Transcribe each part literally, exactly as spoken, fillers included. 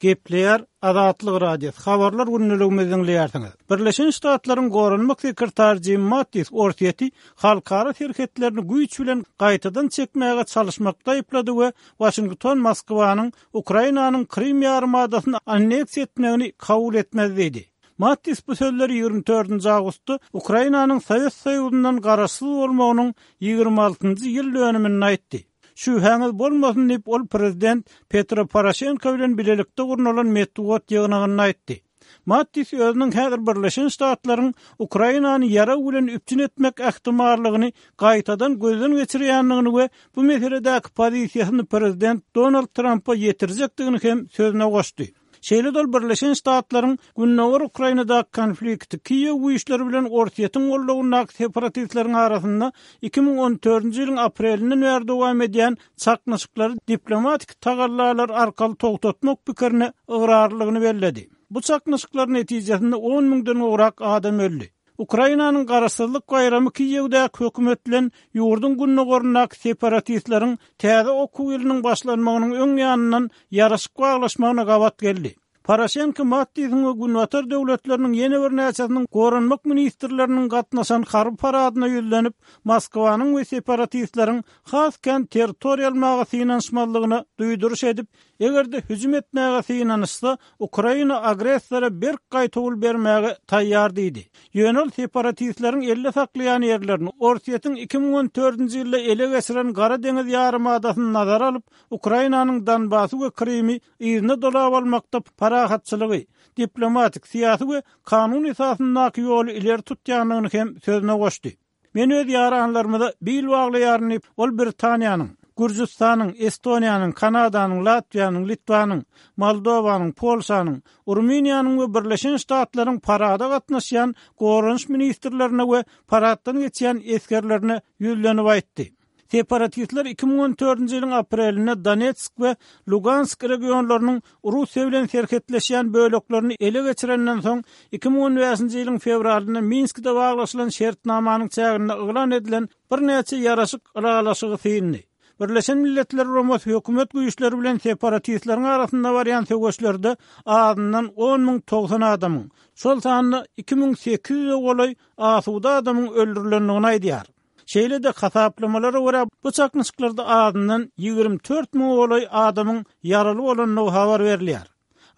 Gepleýär Azatlyk Radiosy Habarlar gündeligimizi diňleýärsiňiz. Birleşen Ştatlaryň Goranmak sekretary Jim Mattis Orsýeti halkara serhetlerini güýç bilen gaýtadan çekmäge çalyşmakda aýyplady we Waşington Moskwanyň Ukrainanyň Krym ýarymadasyny anneksiýa etmegini kabul etmez diýdi. Mattis bu sözleri ýigrimi dördünji awgustda Ukrainanyň Sowet Soýuzyndan garaşsyz bolmagynyň ýigrimi altynjy ýyl dönüminde aýtdy. Şübhäňiz bolmasyn diýip, ol prezident Petro Poroşenko bilen bilelikde gurnalan metbugat ýygnagynda aýtdy. Mattis özüniň häzir Birleşen Ştatlaryň Ukrainany ýarag bilen üpjün etmek ähtimallygyny gaýtadan gözden geçirýändigini we bu meseledäki pozisiýasyny prezident Donald Trampa ýetirjekdigini hem sözüne goşdy. Şeýle-de ol Birleşen Ştatlaryň Gündogar Ukrainadaky konflikti Kiýew güýçleri bilen Orsýetiň goldawyndaky separatistleriň arasynda iki müň on dördünji ýylyň aprelinden bäri dowam edýän çaknyşyklary diplomatik tagallalar arkaly togtatmak pikirine ygrarlylygyny belledi. Bu çaknyşyklar netijesinde on müňden gowrak adam öldi. Ukrainanyň garaşsyzlyk baýramy Kiýewdäki hökümet bilen ýurduň gündogaryndaky separatistleriň täze okuw ýylynyň başlanmagynyň öň ýanyndan ýaraşyk baglaşmagyna gabat geldi. Poroşenko Mattisiň we Günbatar döwletleriniň ýene birnäçesiniň goranmak ministrleriniň gatnaşan harby paradyna ýüzlenip, Moskwanyň we separatistleriň has kän territoriýa almaga synanyşmazlygyna duýduryş edip, eger-de hüjüm etmäge synanyşsa, Ukraina agressora berk gaýtawul bermäge taýýar diýdi. Ýöne ol separatistleriň elde saklaýan ýerlerini Orsýetiň iki müň on dördünji ýylda ele geçiren Gara deňiz ýarymadasyny nazara alyp, Ukrainanyň Donbasy we Krymy yzyna dolap almakda parahatçylygy, diplomatik, syýasy we kanun esasyndaky ýoly ileri tutýandygyny hem sözüne goşdy. Men öz ýaranlarymyza bil baglaýaryn diýip, ol Britaniýanyň, Gürjüstanyň, Estoniýanyň, Kanadanyň, Latwiýanyň, Litwanyň, Moldowanyň, Polşanyň, Rumyniýanyň we Birleşen Ştatlaryň parada gatnaşýan goranyş ministrlerine we paraddan geçýän esgerlerine ýüzlenip aýtdy. Separatistler iki müň on dördünji ýylyň aprelinde Donetsk we Lugansk regionlarynyň Russiýa bilen serhetleşýän böleklerini ele geçirenden soň, iki müň on bäşinji ýylyň fewralynda Minskde baglaşylan şertnamanyň çäginde yglan edilen birnäçe ýaraşyk ylalaşygy syndy. Birleşen Milletler Guramasy hökümet güýçleri bilen separatistleriň arasynda barýan söweşlerde azyndan on müň togsan adamyň, şol sanda iki müň sekiz ýüze golaý asuda adamyň öldürilendigini aýdýar. Şeýle-de hasaplamalara görä bu çaknyşyklarda azyndan ýigrimi dört müňe golaý adamyň ýaraly bolandygy habar berilýär.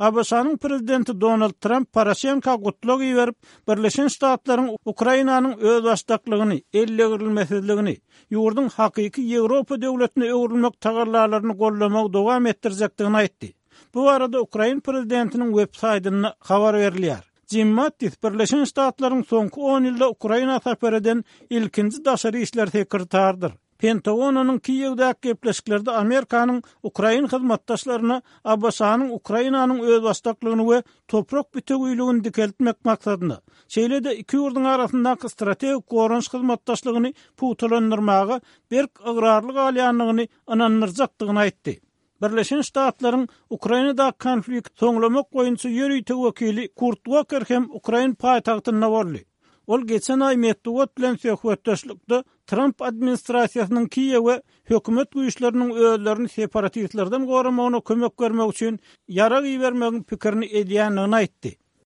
A B Ş-nyň prezidenti Donald Tramp Poroşenko gutlag iberip, Birleşen Ştatlaryň Ukrainanyň özbaşdaklygyny, ellegirilmesizligini, ýurduň hakyky Ýewropa döwletine öwrülmek tagallalaryny goldamagy dowam etdirjekdigini aýtdy. Bu barada Ukrain prezidentiniň web saýtynda habar berilýär. Jim Mattis Birleşen Ştatlaryň soňky on ýylda Ukraina sapar eden ilkinji daşary işler sekretarydyr. Pentagonyň Kiýewdäki gepleşiklerde Amerikanyň Ukrain hyzmatdaşlaryna A B Ş-nyň Ukrainanyň özbaşdaklygyny we toprak bütewüligini dikeltmek maksadyna, şeýle-de iki ýurduň arasyndaky strategik goranyş hyzmatdaşlygyny pugtalandyrmaga berk ygrarly galýandygyny ynandyrjakdygyny aýtdy. Birleşen Ştatlaryň Ukrainadaky konflikt soňlamak boýunça ýörite wekili Kurt Walker hem Ukrain paýtagtynda boldy. Ol geçen aý metbugat bilen söhbetdeşlikde Tramp administrasiýasynyň Kiýewe hökümet güýçleriniň özlerini separatistlerden goramagyna kömek bermek üçin ýarag ibermegiň pikirini edýändigini aýtdy.